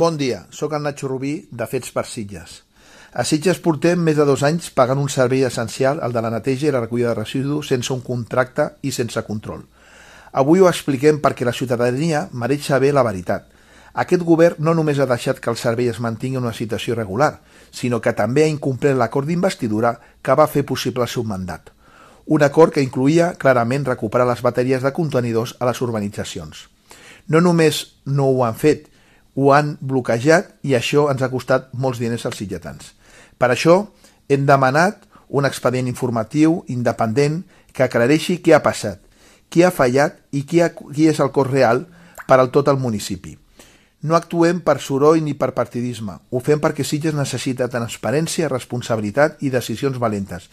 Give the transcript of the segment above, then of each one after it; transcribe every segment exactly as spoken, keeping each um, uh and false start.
Bon dia, sóc el Nacho Rubí, de Fets per Sitges. A Sitges portem més de dos anys pagant un servei essencial, el de la neteja i la recollida de residus, sense un contracte i sense control. Avui ho expliquem perquè la ciutadania mereix saber la veritat. Aquest govern no només ha deixat que el servei es mantingui en una situació irregular, sinó que també ha incomplert l'acord d'investidura que va fer possible el seu mandat. Un acord que incloïa clarament recuperar les bateries de contenidors a les urbanitzacions. No només no ho han fet, ho han bloquejat i això ens ha costat molts diners als sitgetans. Per això hem demanat un expedient informatiu independent que aclareixi què ha passat, qui ha fallat i qui, ha, qui és el cost real per al tot el municipi. No actuem per soroll ni per partidisme, ho fem perquè Sitges necessita transparència, responsabilitat i decisions valentes.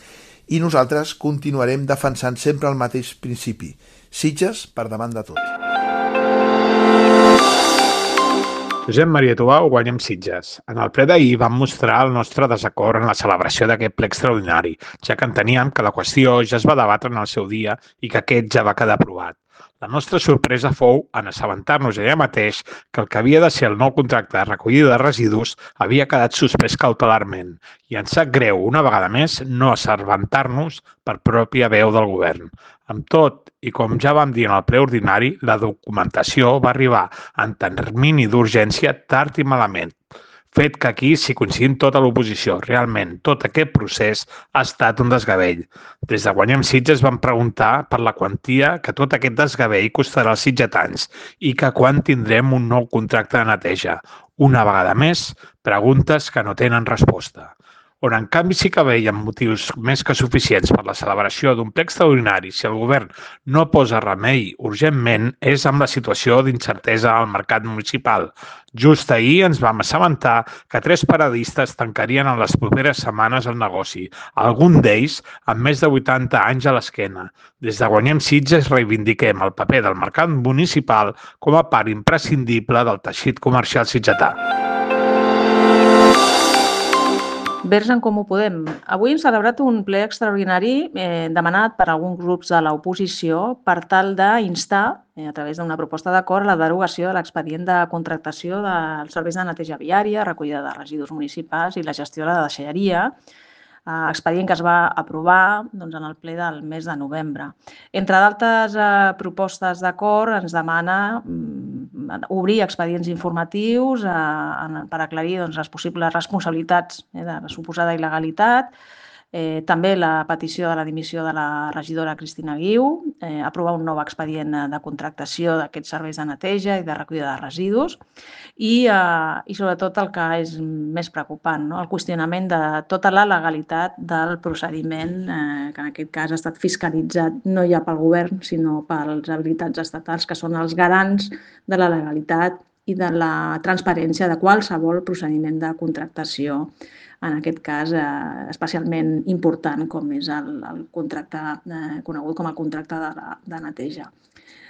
I nosaltres continuarem defensant sempre el mateix principi. Sitges per davant de tot. Josep Maria Tubau, Guanyem Sitges. En el ple d'ahir vam mostrar el nostre desacord en la celebració d'aquest ple extraordinari, ja que enteníem que la qüestió ja es va debatre en el seu dia i que aquest ja va quedar aprovat. La nostra sorpresa fou en assabentar-nos allà mateix que el que havia de ser el nou contracte de recollida de residus havia quedat suspès cautelarment i ens sap greu, una vegada més, no assabentar-nos per pròpia veu del govern. Amb tot, i com ja vam dir en el ple ordinari, la documentació va arribar en termini d'urgència tard i malament, fet que aquí s'hi coincidim tota l'oposició. Realment, tot aquest procés ha estat un desgavell. Des de Guanyem Sitges vam preguntar per la quantia que tot aquest desgavell costarà als sitgetans i que quan tindrem un nou contracte de neteja. Una vegada més, preguntes que no tenen resposta. On en canvi sí que veiem motius més que suficients per la celebració d'un ple extraordinari si el govern no posa remei urgentment és amb la situació d'incertesa al mercat municipal. Just ahir ens vam assabentar que tres paradistes tancarien en les properes setmanes el negoci, algun d'ells amb més de vuitanta anys a l'esquena. Des de Guanyem Sitges reivindiquem el paper del mercat municipal com a part imprescindible del teixit comercial sitgetà. Verds en Comú Podem. Avui hem celebrat un ple extraordinari eh, demanat per alguns grups de l'oposició per tal d'instar, eh, a través d'una proposta d'acord, la derogació de l'expedient de contractació dels serveis de neteja viària, recollida de residus municipals i la gestió de la deixalleria, eh, expedient que es va aprovar doncs, en el ple del mes de novembre. Entre d'altres eh, propostes d'acord, ens demana mm, obrir expedients informatius eh, per aclarir doncs, les possibles responsabilitats eh, de la suposada il·legalitat, eh, també la petició de la dimissió de la regidora Cristina Guiu, eh, aprovar un nou expedient de contractació d'aquests serveis de neteja i de recollida de residus i, eh, i sobretot el que és més preocupant, no? El qüestionament de tota la legalitat del procediment eh, que en aquest cas ha estat fiscalitzat no ja pel govern sinó pels habilitats estatals que són els garants de la legalitat i de la transparència de qualsevol procediment de contractació, en aquest cas eh, especialment important com és el, el contracte eh, conegut com el contracte de, la, de neteja.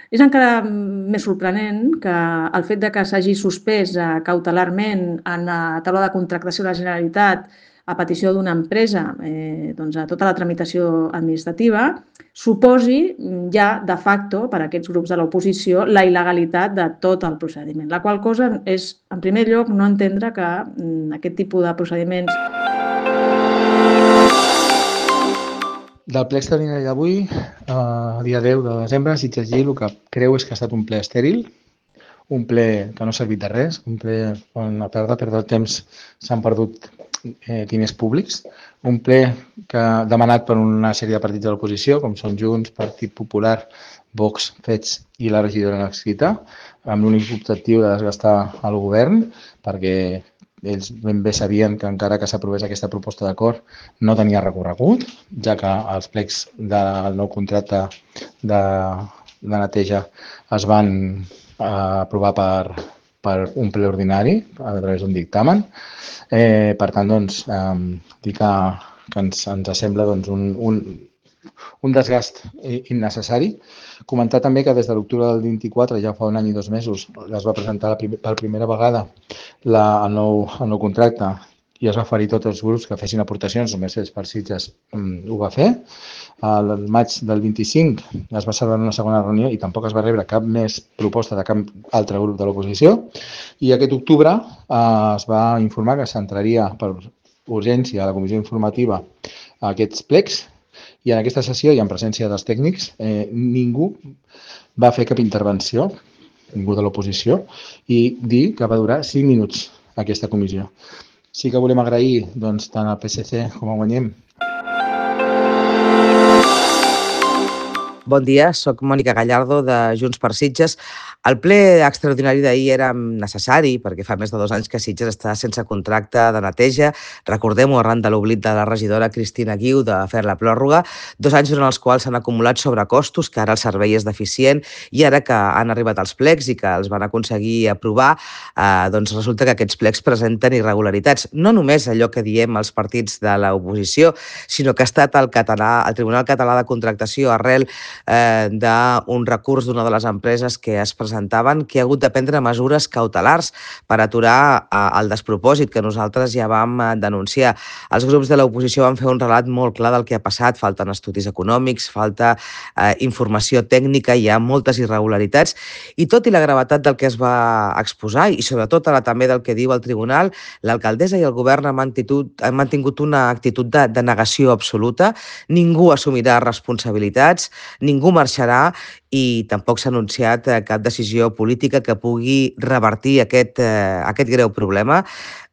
És encara més sorprenent que el fet de que s'hagi suspès eh, cautelarment en la taula de contractació de la Generalitat a petició d'una empresa eh, doncs a tota la tramitació administrativa suposi ja de facto per a aquests grups de l'oposició la il·legalitat de tot el procediment, la qual cosa és, en primer lloc, no entendre que mm, aquest tipus de procediments... Del ple extraordinari d'avui, eh, dia deu de desembre, Sitges Gil, el que creu és que ha estat un ple estèril, un ple que no ha servit de res, un ple on a perdre, perdre el temps s'han perdut eh, diners públics, un ple que ha demanat per una sèrie de partits de l'oposició, com són Junts, Partit Popular, Vox, Fets i la regidora Naxita, amb l'únic objectiu de desgastar el govern, perquè ells ben bé sabien que encara que s'aprovés aquesta proposta d'acord no tenia recorregut, ja que els plecs del nou contracte de, de neteja es van eh, aprovar per, per un ple ordinari a través d'un dictamen. Eh, per tant, doncs, eh, dir que, que ens, ens sembla doncs, un, un, un desgast innecessari. Comentar també que des de l'octubre del vint-i-quatre, ja fa un any i dos mesos, es va presentar la prim per primera vegada la, el, nou, el nou contracte i es va oferir a tots els grups que fessin aportacions, només els per Sitges ho va fer. Al maig del vint-i-cinc es va celebrar una segona reunió i tampoc es va rebre cap més proposta de cap altre grup de l'oposició. I aquest octubre eh, es va informar que s'entraria per urgència a la comissió informativa a aquests plecs i en aquesta sessió i en presència dels tècnics eh, ningú va fer cap intervenció, ningú de l'oposició, i dir que va durar cinc minuts aquesta comissió. Sí que volem agrair doncs, tant al P S C com a Guanyem. Bon dia, soc Mònica Gallardo de Junts per Sitges. El ple extraordinari d'ahir era necessari perquè fa més de dos anys que Sitges està sense contracte de neteja. Recordem-ho arran de l'oblit de la regidora Cristina Guiu de fer la pròrroga. Dos anys durant els quals s'han acumulat sobrecostos, que ara el servei és deficient, i ara que han arribat els plecs i que els van aconseguir aprovar, eh, doncs resulta que aquests plecs presenten irregularitats. No només allò que diem els partits de l'oposició, sinó que ha estat el, català, el Tribunal Català de Contractació arrel eh, d'un recurs d'una de les empreses que es presentaven, que ha hagut de prendre mesures cautelars per aturar eh, el despropòsit que nosaltres ja vam eh, denunciar. Els grups de l'oposició van fer un relat molt clar del que ha passat, falten estudis econòmics, falta eh, informació tècnica, hi ha moltes irregularitats, i tot i la gravetat del que es va exposar, i sobretot ara també del que diu el tribunal, l'alcaldessa i el govern han mantingut, han mantingut una actitud de, de negació absoluta, ningú assumirà responsabilitats, ningú marxarà i tampoc s'ha anunciat cap decisió política que pugui revertir aquest, eh, aquest greu problema.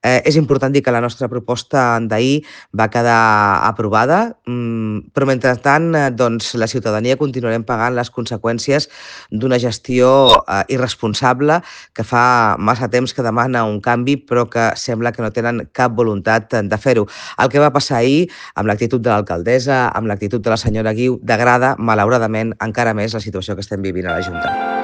Eh, és important dir que la nostra proposta d'ahir va quedar aprovada, mm, però mentrestant eh, doncs, la ciutadania continuarem pagant les conseqüències d'una gestió eh, irresponsable que fa massa temps que demana un canvi però que sembla que no tenen cap voluntat de fer-ho. El que va passar ahir amb l'actitud de l'alcaldessa, amb l'actitud de la senyora Guiu, degrada, malauradament, encara més la situació que estem vivint a la Junta.